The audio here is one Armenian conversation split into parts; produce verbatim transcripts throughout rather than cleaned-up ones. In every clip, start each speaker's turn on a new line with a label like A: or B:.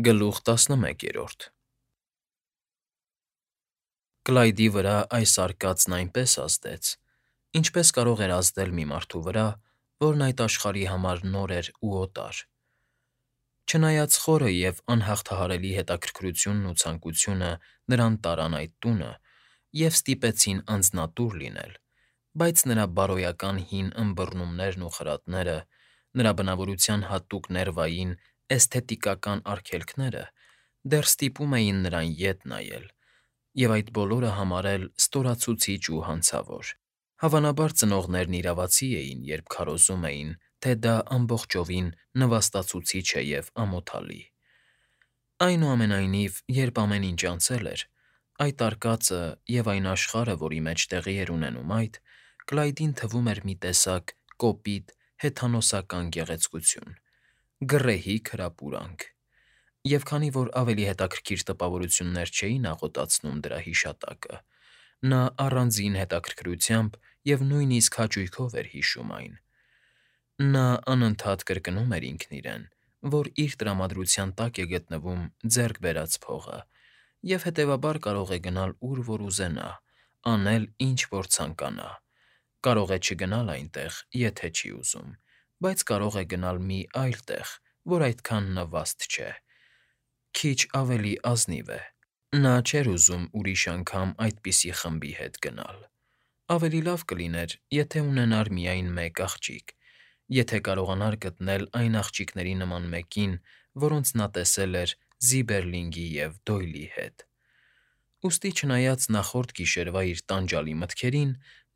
A: Գլուխ տասնմեկերորդ Կլայդի վրա այս արկածն այնպես ազդեց, ինչպես կարող էր ազդել մի մարդու վրա, որն այդ աշխարհի համար նոր էր ու օտար. չնայած խորը և անհաղթահարելի հետաքրքրությունն ու ցանկությունը նրան տարան այդ տունը և ստիպեցին անձնատուր լինել, բայց նրա բարոյական հին ըմբռնումներն ու խրատները, նրա բնավորության հատուկ ներվային, էսթետիկական արգելքները դեռ ստիպում էին նրան ետ նայել և այդ բոլորը համարել ստորացուցիչ ու հանցավոր. Հավանաբար ծնողներն իրավացի էին, երբ քարոզում էին, թե դա ամբողջովին նվաստացուցիչ է և ամոթալի. Այնուամենայնիվ, երբ ամեն ինչ անցել էր, այդ արկածը և այն աշխարհը, որի մեջ տեղի էր ունենում այդ, Կլայդին թվում էր մի տեսակ կոպիտ, հեթանոսական գեղեցկություն, գռեհիկ հրապուրանք, և քանի որ ավելի հետաքրքիր տպավորություններ չէին աղոթացնում դրա հիշատակը, նա առանձին հետաքրքրությամբ և նույնիսկ հաճույքով էր հիշում այն. նա անընդհատ կրկնում էր ինքն իրեն, որ իր տրամադրության տակ է գտնվում ձեռք բերած փողը և, հետևաբար, կարող է գնալ ուր որ ուզենա, անել ինչ որ ցանկանա, կարող է չգնալ այնտեղ, եթե չի ուզում, բայց կարող է գնալ մի այլ տեղ, որ այդքան նվաստ չէ, քիչ ավելի ազնիվ է. նա չէր ուզում ուրիշ անգամ այդպիսի խմբի հետ գնալ. Ավելի լավ կլիներ, եթե ունենար միայն մեկ աղջիկ, եթե կարողանար գտնել այն աղջիկների նման մեկին, որոնց նա տեսել էր Զիբերլինգի և Դոյլի հետ: Ուստի, չնայած նախորդ գիշերվա իր տանջալի մտքերին,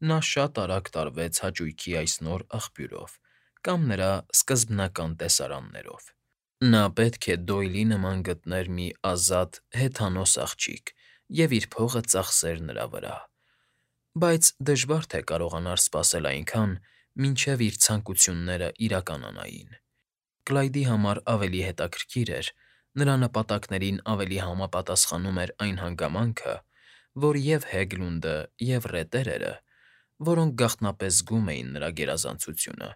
A: նա շատ արագ տարվեց հաճույքի այս նոր աղբյուրով կամ նրա սկզբնական տեսարաններով. նա պետք է Դոյլի նման գտներ մի ազատ, հեթանոս աղջիկ և իր փողը ծախսեր նրա վրա: Բայց դժվար թե կարողանար սպասել այնքան, մինչև իր ցանկություններն իրականանային: Կլայդի համար ավելի հետաքրքիր էր, նրա նպատակներին ավելի համապատասխանում էր այն հանգամանքը, որ և Հեգլունդը, և ռետերերը, որոնք գաղտնապես զգում էին նրա գերազանցությունը,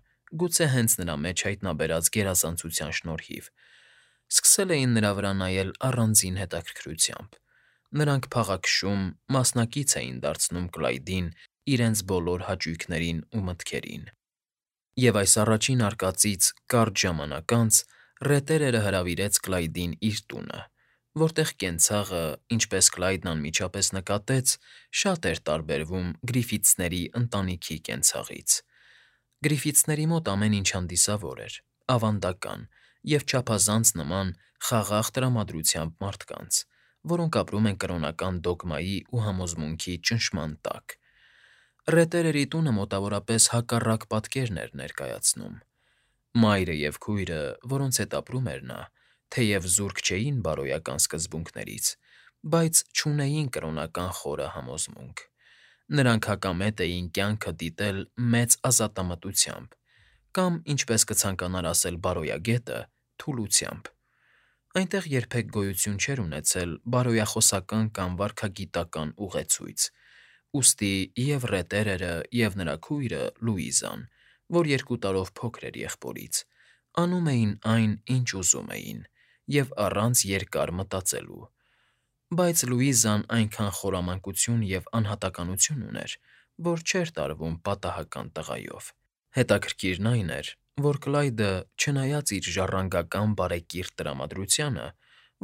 A: գուցե հենց նրա մեջ հայտնաբերած գերազանցության շնորհիվ, սկսել էին նրա վրա նայել առանձին հետաքրքրությամբ. նրանք փաղաքշում, մասնակից էին դարձնում Կլայդին իրենց բոլոր հաճույքներին ու մտքերին: Եվ այս առաջին արկածից կարճ ժամանակ անց ռետերերը հրավիրեց Կլայդին իր տունը, որտեղ կենցաղը, ինչպես Կլայդն անմիջապես նկատեց, շատ էր տարբերվում Գրիֆիթսների ընտանիքի կենցաղից. Գրիֆիթսների մոտ ամեն ինչ հանդիսավոր էր, ավանդական և չափազանց նման խաղաղ տրամադրությամբ մարդկանց, որոնք ապրում են կրոնական դոգմայի ու համոզմունքի ճնշման տակ: Ռետերերի տունը մոտավորապես հակառակ պատկերն էր ներկայացնում. մայրը և քույրը, որոնց հետ ապրում էր նա, թեև զուրկ չէին բարոյական սկզբունքներից, բայց չունեին կրոնական խորը համոզմունք: Նրանք հակամետ էին կյանքը դիտել մեծ ազատամտությամբ կամ, ինչպես կցանկանար ասել բարոյագետը, թուլությամբ: Այնտեղ երբեք գոյություն չէր ունեցել բարոյախոսական կամ վարքագիտական ուղեցույց, ուստի և ռետերերը, և նրա քույրը՝ Լուիզան, որ երկու տարով փոքր էր եղբորից, անում էին այն, ինչ ուզում էին և առանց երկար մտածելու: Բայց Լուիզան այնքան խորամանկություն և անհատականություն ուներ, որ չէր տարվում պատահական տղայով: Հետաքրքիրն այն էր, որ Կլայդը, չնայած իր ժառանգական բարեկիրթ տրամադրությանը,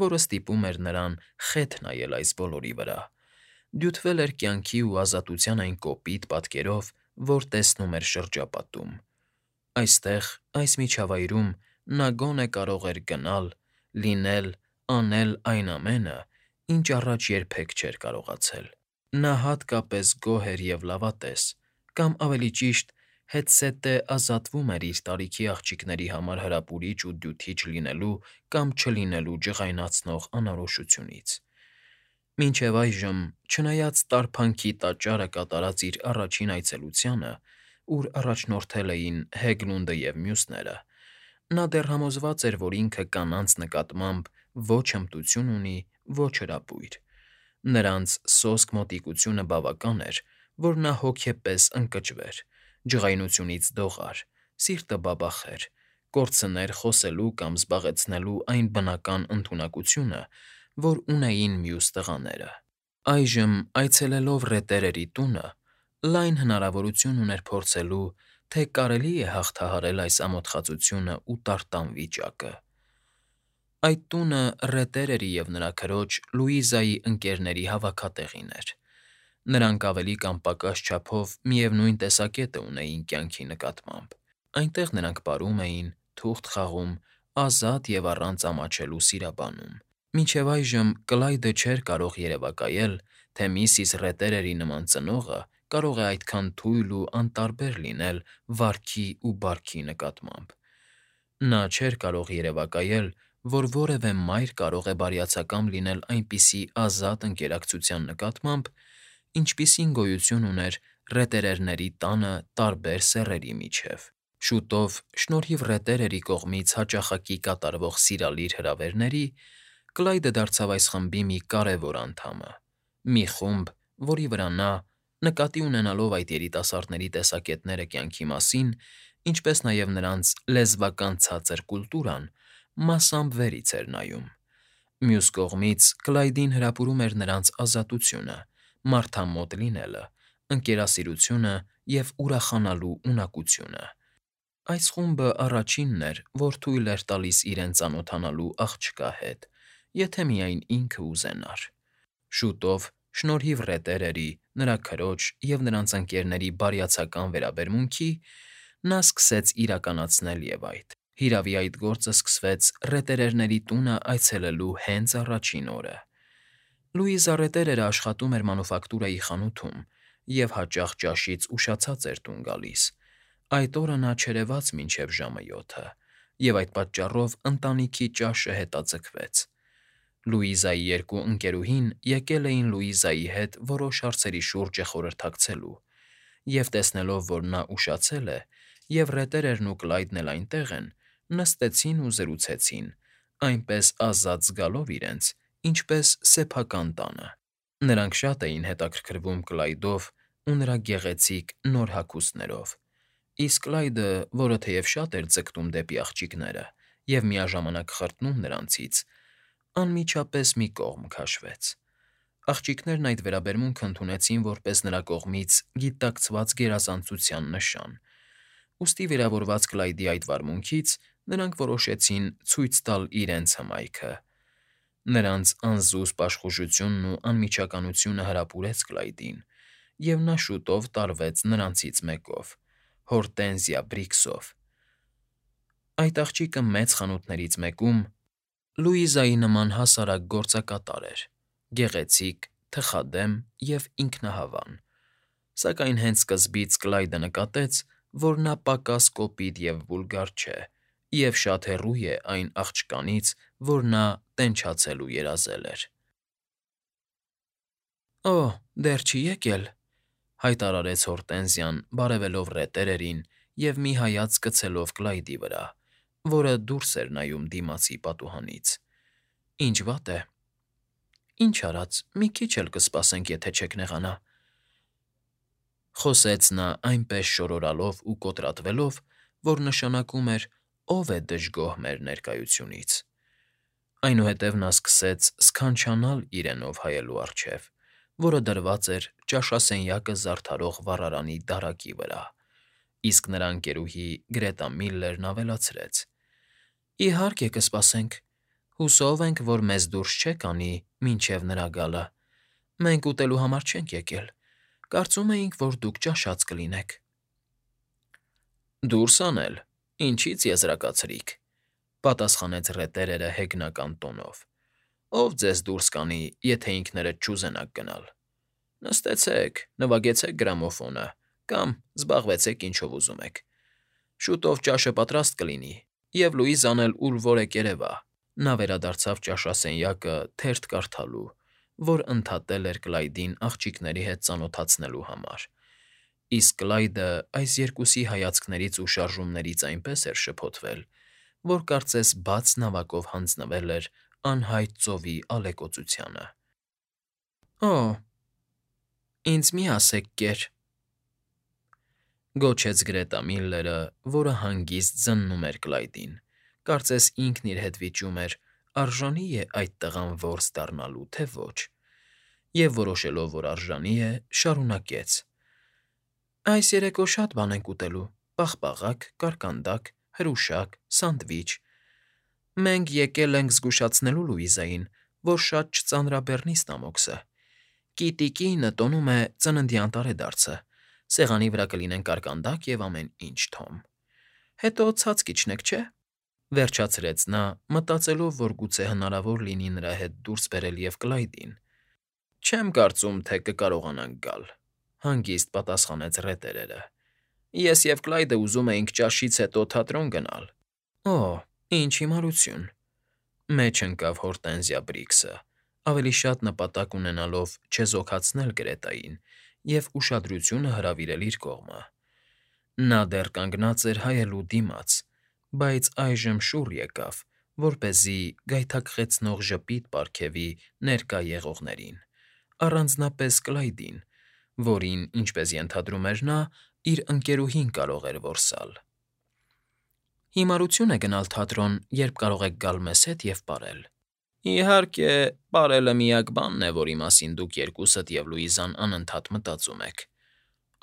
A: որը ստիպում էր նրան խեթ նայել այս բոլորի վրա, դյութվել էր կյանքի ու ազատության այն կոպիտ պատկերով, որ տեսնում էր շրջապատում: Այստեղ, այս միջավայրում նա գոնե կարող էր գնալ, լինել, անել այն ամենը, ինչ առաջ երբեք չէր կարողացել: Նա հատկապես գոհ էր և լավատես, կամ, ավելի ճիշտ, հետզհետե ազատվում էր իր տարիքի աղջիկների համար հրապուրիչ ու դյութիչ լինելու կամ չլինելու ջղայնացնող անորոշությունից: Մինչև այժմ, չնայած տարփանքի տաճարը կատարած իր առաջին այցելությանը, ուր առաջնորդել էին Հեգլունդը և մյուսները, նա դեռ համոզված էր, որ ինքը կանանց նկատմամբ ոչ հմտություն ունի, ոչ հրապույր: Նրանց սոսկ մոտիկությունը բավական էր, որ նա հոգեպես ընկճվեր, ջղայնությունից դողար, սիրտը բաբախեր, կորցներ խոսելու կամ զբաղեցնելու այն բնական ընդունակությունը, որ ունեին մյուս տղաները։ Այժմ, այցելելով ռետերերի տունը, լայն հնարավորություն ուներ փորձելու, թե կարելի է հաղթահարել այս ամոթխածությունը ու տարտան վիճակը։ Այդ տունը ռետերերի և նրա քրոջ՝ Լուիզայի ընկերների հավաքատեղին էր։ Նրանք ավելի կամ պակաս չափով միևնույն տեսակետը ունեին կյանքի նկատմամբ. այնտեղ նրանք պարում էին, թուղթ խաղում, ազատ և առանց ամաչելու սիրաբանում։ Մինչև այժմ Կլայդը չէր կարող երևակայել, թե միսիս Ռետերերի նման ծնողը կարող է այդքան թույլ ու անտարբեր լինել վարքի ու բարքի նկատմամբ։ Նա չէր կարող երևակայել, որ որևէ մայր կարող է բարյացակամ լինել այնպիսի ազատ ընկերակցության նկատմամբ, ինչպիսին գոյություն ուներ ռետերերների տանը տարբեր սեռերի միջև։ Շուտով, շնորհիվ ռետերերի կողմից հաճախակի կատարվող սիրալիր հրավերների, Կլայդը դարձավ այս խմբի մի կարևոր անդամը։ Մի խումբ, որի վրա նա, նկատի ունենալով այդ երիտասարդների տեսակետները կյանքի մասին, ինչպես նաև նրանց լեզվական ցածր կուլտուրան, մասամբ վերից էր նայում։ Մյուս կողմից Կլայդին հրապուրում էր նրանց ազատությունը, մարդամոտ լինելը, ընկերասիրությունը և ուրախանալու ունակությունը։ Այս խումբը առաջինն էր, որ թույլ էր տալիս իրեն ծանոթանալու աղջկա հետ, եթե միայն ինքը ուզենար։ Շուտով, շնորհիվ ռետերերի, նրա քրոջ և նրանց ընկերների բարյացակամ վերաբերմունքի, նա սկսեց իրականացնել և այդ։ Հիրավի, այդ գործը սկսվեց ռետերերների տունը այցելելու հենց առաջին օրը։ Լուիզա Ռետերերը աշխատում էր մանուֆակտուրայի խանութում և հաճախ ճաշից ուշացած էր տուն գալիս։ Այդ օրը նա չերևաց մինչև ժամը յոթը, և այդ պատճառով ընտանիքի ճաշը հետաձգվեց։ Լուիզայի երկու ընկերուհին եկել էին Լուիզայի հետ որոշ հարցերի շուրջը խորհրդակցելու, և տեսնելով, որ նա ուշացել է, և ռետերերն ու Կլայդն էլ այնտեղ են, նստեցին ու զրուցեցին, այնպես ազատ զգալով իրենց, ինչպես սեփական տանը։ Նրանք շատ էին հետաքրքրվում Կլայդով ու նրա գեղեցիկ նոր հագուստներով, իսկ Կլայդը, որը թեև շատ էր ձգտում դեպի աղջիկները և միաժամանակ խրտնում նրանցից, անմիջապես մի կողմ քաշվեց։ Աղջիկներն այդ վերաբերմունքն ընդունեցին որպես նրա կողմից գիտակցված գերազանցության նշան, ուստի վիրավորված Կլայդի այդ վարմունքից նրանք որոշեցին ցույց տալ իրենց հմայքը։ Նրանց անզուսպ աշխուժությունն ու անմիջականությունը հրապուրեց Կլայդին, և նա շուտով տարվեց նրանցից մեկով՝ Հորտենզիա Բրիքսով։ Այդ աղջիկը մեծ խանութներից մեկում Լուիզայի նման հասարակ գործակատար էր՝ գեղեցիկ, թխադեմ և ինքնահավան։ Սակայն հենց սկզբից Կլայդը նկատեց, որ նա պակաս կոպիտ և վուլգար չէ և շատ հեռու է այն աղջկանից, որ նա տենչացել ու երազել էր։ ֊ Օ՜, դեռ չի եկել,֊ հայտարարեց Հորտենզիան՝ բարևելով ռետերերին և մի հայացք գցելով Կլայդի վրա, որը դուրս էր նայում դիմացի պատուհանից։ ֊ Ինչ վատ է։ ֊ Ինչ արած, մի քիչ էլ կսպասենք, եթե չեք նեղանա,֊ խոսեց նա այնպես շորորալով ու կոտրատվելով, որ նշանակում էր. «Ո՞վ է դժգոհ մեր ներկայությունից»։ Այնուհետև նա սկսեց սքանչանալ իրենով հայելու առջև, որը դրված էր ճաշասենյակը զարդարող վառարանի դարակի վրա, իսկ նրա ընկերուհի Գրետա Միլլերն ավելացրեց. «Իհարկե կսպասենք։ Հուսով ենք, որ մեզ դուրս չեք անի մինչև նրա գալը։ Մենք ուտելու համար չենք եկել, կարծում էինք, որ դուք ճաշած կլինեք»։ ֊ Դուրս անել, ինչի՞ց եզրակացրիք,֊ պատասխանեց ռետերերը հեգնական տոնով։ ֊ Ո՞վ ձեզ դուրս կանի, եթե ինքներդ չուզենաք գնալ։ Նստեցեք, նվագեցեք գրամոֆոնը կամ զբաղվեցեք ինչով ուզում եք։ Շուտով ճաշը պատրաստ կլինի, և Լուիզան էլ ուր֊որ է կերևա։ Նա վերադարձավ ճաշասենյակը թերթ կարդալու, որ ընդհատել էր Կլայդին աղջիկների հետ ծանոթացնելու համար, իսկ Կլայդը այս երկուսի հայացքներից ու շարժումներից այնպես էր շփոթվել, որ կարծես բաց նավակով հանձնվել էր անհայտ ծովի ալեկոծությանը։ ֊ Օ՜, ինձ մի՛ ասեք կեր,֊ Գոչեց Գրետա Միլլերը, որը հանգիստ զննում էր Կլայդին, կարծես ինքն իր հետ վիճում էր. արժանի՞ է այդ տղան որս դառնալու, թե ոչ, և որոշելով, որ արժանի է, շարունակեց. Այս երեկո շատ բան ենք ուտելու. պաղպաղակ, կարկանդակ, հրուշակ, սանդվիչ. Մենք եկել ենք զգուշացնելու Լուիզային, որ շատ չծանրաբեռնի ստամոքսը. Կիտիկինը տոնում է ծննդյան տարեդարձը, սեղանի վրա կլինեն կարկանդակ և ամեն ինչ, Թոմ. Հետո ցած կիջնեք, չէ՞, վերջացրեց նա, մտածելով, որ գուցե հնարավոր լինի նրա հետ դուրս բերել և Կլայդին։ Չեմ կարծում, թե կկարողանանք գալ, հանգիստ պատասխանեց ռետերերը։ Ես և Կլայդը ուզում էինք ճաշից հետո թատրոն գնալ։ Օ, ինչ հիմարություն, մեջ ընկավ Հորտենզիա Բրիքսը, ավելի շատ նպատակ ունենալով չեզոքացնել Գրետային և ուշադրությունը հրավիրել իր կողմը։ Նա դեռ կանգնած էր հայելու դիմաց, բայց այժմ շուռ եկավ, որպեսզի գայթակղեցնող ժպիտ պարգևի ներկա եղողներին, առանձնապես Կլայդին, որին, ինչպես ենթադրում էր նա, իր ընկերուհին կարող էր որսալ։ Հիմարություն է գնալ թատրոն, երբ կարող եք գալ մեզ հետ և պարել։ Իհարկե, պարելը միակ բանն է, որի մասին դուք երկուսդ և Լուիզան անընդհատ մտածում եք,֊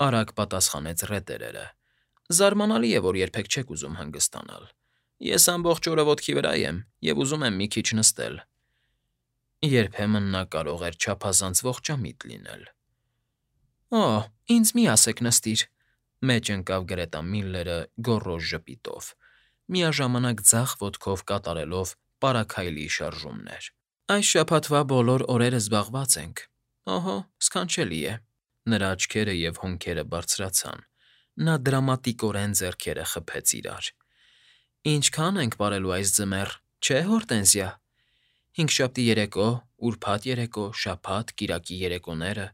A: արագ պատասխանեց ռետերերը։ Զարմանալի է, որ երբեք չեք ուզում հանգստանալ։ Ես ամբողջ օրը ոտքի վրա եմ և ուզում եմ մի քիչ նստել։ Երբեմն նա կարող էր չափազանց ողջամիտ լինել։ Օ, ինձ մի ասեք նստիր,֊ մեջ ընկավ Գրետա Միլլերը գոռոզ ժպիտով, միաժամանակ ձախ ոտքով կատարելով պարաքայլի շարժումներ։ Այս շաբաթվա բոլոր օրերը զբաղված ենք։ Օհո, սքանչելի է։ Նրա աչքերը և հոնքերը բարձրացան, նա դրամատիկորեն ձեռքերը խփեց իրար։ Ինչքա՞ն ենք պարելու այս ձմեռ, չէ՞, Հորտենզիա։ Հինգշաբթի երեկո, ուրբաթ երեկո, շաբաթ, կիրակի երեկոները…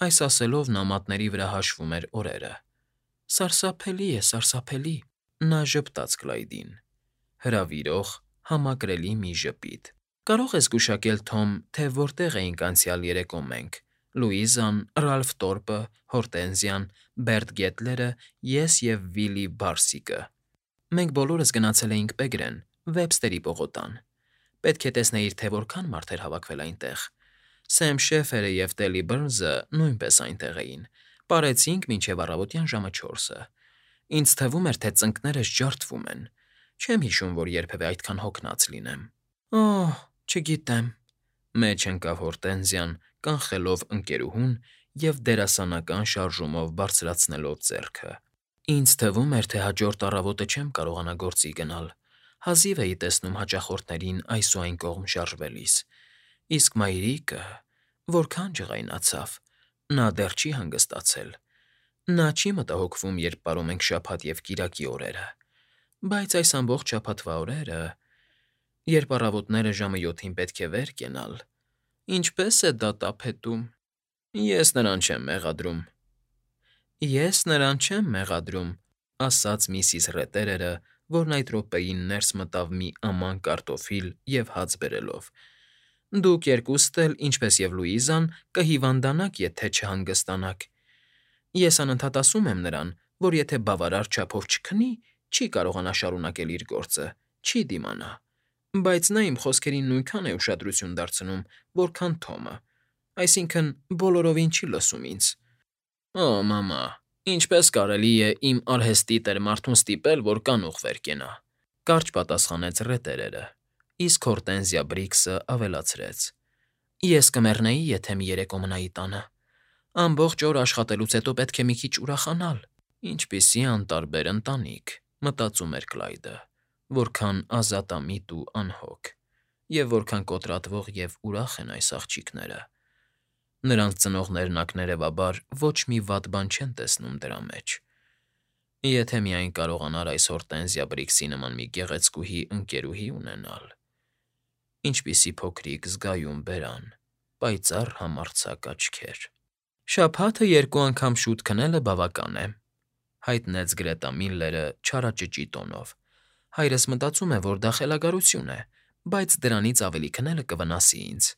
A: Այս ասելով նա մատների վրա հաշվում էր օրերը։ Սարսափելի է, սարսափելի… Նա ժպտաց Կլայդին։ Հրավիրող, համակրելի մի ժպիտ։ Կարո՞ղ ես գուշակել, Թոմ, թե որտեղ էինք անցյալ երեկո մենք՝ Լուիզան, Ռալֆ Տորպը, Հորտենզիան, Բերտ Գետլերը, ես և Վիլի Բարսիկը։ Մենք բոլորս գնացել էինք Պեգրեն, Վեբստերի պողոտան։ Պետք է տեսնեիր, թե որքան մարդ էր հավաքվել այնտեղ։ Սեմ Շեֆերը և Տելի Բըրնզը նույնպես այնտեղ էին, պարեցինք մինչև առավոտյան ժամը չորսը։ Ինձ թվում էր, թե ծնկներս ջարդվում են։ Չեմ հիշում, որ երբևէ այդքան հոգնած լինեմ։ Օհ, չգիտեմ,֊ մեջ ընկավ Հորտենզիան, կանխելով ընկերուհուն և դերասանական շարժումով բարձրացնելով ձեռքը։ Ինձ թվում էր, թե հաջորդ առավոտը չեմ կարողանա գործի գնալ։ Հազիվ էի տեսնում հաճախորդներին այս ու այն կողմ շարժվելիս։ Իսկ մայրիկը… որքան ջղայնացավ… Նա դեռ չի հանգստացել։ Նա չի մտահոգվում, երբ պարում ենք շաբաթ և կիրակի օրերը։ Բայց այս ամբողջ շաբաթվա օրերը… Երբ առավոտները ժամը յոթին պետք է վեր կենալ… Ինչպե՞ս է դա տափետում… Ես նրան չեմ մեղադրում։ Ես նրան չեմ մեղադրում,֊ ասաց միսիս Ռետերերը, որն այդ րոպեին ներս մտավ մի աման կարտոֆիլ և հաց բերելով։ Դուք երկուստ էլ, ինչպես և Լուիզան, կհիվանդանաք, եթե չհանգստանաք։ Ես անընդհատ ասում եմ նրան, որ եթե բավարար չափով չքնի, չի կարողանա շարունակել իր գործը, չի դիմանա։ Բայց նա իմ խոսքերին նույնքան է ուշադրություն դարձնում, որքան Թոմը, այսինքն՝ բոլորովին չի լսում ինձ։ Օ, մամա, ինչպե՞ս կարելի է իմ արհեստի տեր մարդուն ստիպել, որ կանուխ վեր կենա,֊ կարճ պատասխանեց ռետերերը, իսկ Հորտենզիա Բրիքսը ավելացրեց. Ես կմեռնեի, եթե մի երեկո մնայի տանը։ Ամբողջ օր աշխատելուց հետո պետք է մի քիչ ուրախանալ։ Ինչպիսի անտարբեր ընտանիք, մտածում էր Կլայդը, որքան ազատամիտ ու անհոգ, և որքան կոտրատվող և ուրախ են այս աղջիկները։ Նրանց ծնողներն ակներևաբար ոչ մի վատ բան չեն տեսնում դրա մեջ։ Եթե միայն կարողանար այս Հորտենզիա Բրիքսի նման մի գեղեցկուհի ընկերուհի ունենալ… Ինչպիսի փոքրիկ զգայուն բերան, պայծառ համարձակ աչքեր… Շաբաթը երկու անգամ շուտ քնելը բավական է,֊ հայտնեց Գրետա Միլլերը չարաճճի տոնով։ Հայրս մտածում է, որ դա խելագարություն է, բայց դրանից ավելի քնելը կվնասի ինձ։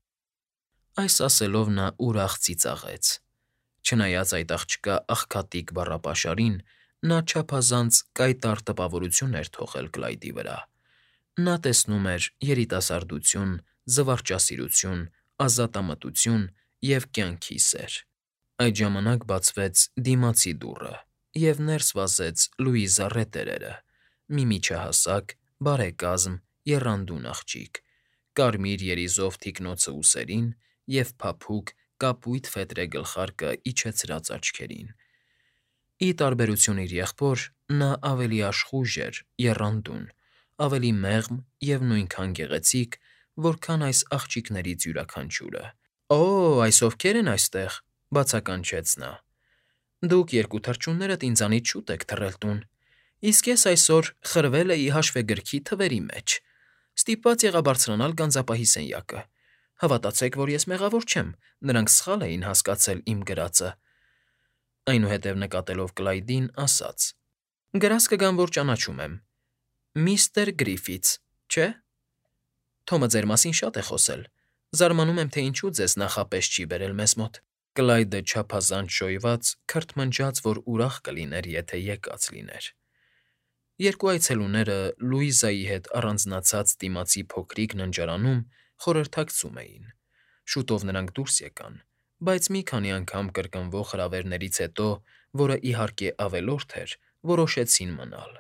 A: Այս ասելով նա ուրախ ծիծաղեց։ Չնայած այդ աղջկա աղքատիկ բառապաշարին, նա չափազանց կայտառ տպավորություն էր թողել Կլայդի վրա. նա տեսնում էր երիտասարդություն, զվարճասիրություն, ազատամտություն և կյանքի սեր։ Այդ ժամանակ բացվեց դիմացի դուռը, և ներս վազեց Լուիզա Ռետերերը՝ մի միջահասակ, բարեկազմ, եռանդուն աղջիկ, կարմիր երիզով թիկնոցը ուսերին և փափուկ կապույտ ֆետրե գլխարկը իջեցրած աչքերին։ Ի տարբերություն իր եղբոր, նա ավելի աշխույժ էր, եռանդուն, ավելի մեղմ և նույնքան գեղեցիկ, որքան այս աղջիկներից յուրաքանչյուրը։ «Օ՜, այս ովքե՞ր են այստեղ,֊ բացականչեց նա։ Դուք երկու թռչուններդ ինձանից շուտ եք թռել տուն, իսկ ես այսօր խրվել էի հաշվեգրքի թվերի մեջ, ստիպված եղա բարձրանալ գանձապահի սենյակը։ Հավատացեք, որ ես մեղավոր չեմ, նրանք սխալ էին հասկացել իմ գրածը»։ Այնուհետև նկատելով Կլայդին, ասաց. «Գրազ կգամ, որ ճանաչում եմ. միստր Գրիֆիթս, չէ՞։ Թոմը ձեր մասին շատ է խոսել, զարմանում եմ, թե ինչու ձեզ նախապես չի բերել մեզ մոտ»։ Կլայդը չափազանց շոյված քրթմնջաց, որ ուրախ կլիներ, եթե եկած լիներ։ Երկու այցելուները Լուիզայի հետ առանձնացած դիմացի փոքրիկ ննջարանում խորհրդակցում էին։ Շուտով նրանք դուրս եկան, բայց մի քանի անգամ կրկնվող հրավերներից հետո, որը, իհարկե, ավելորդ էր, որոշեցին մնալ։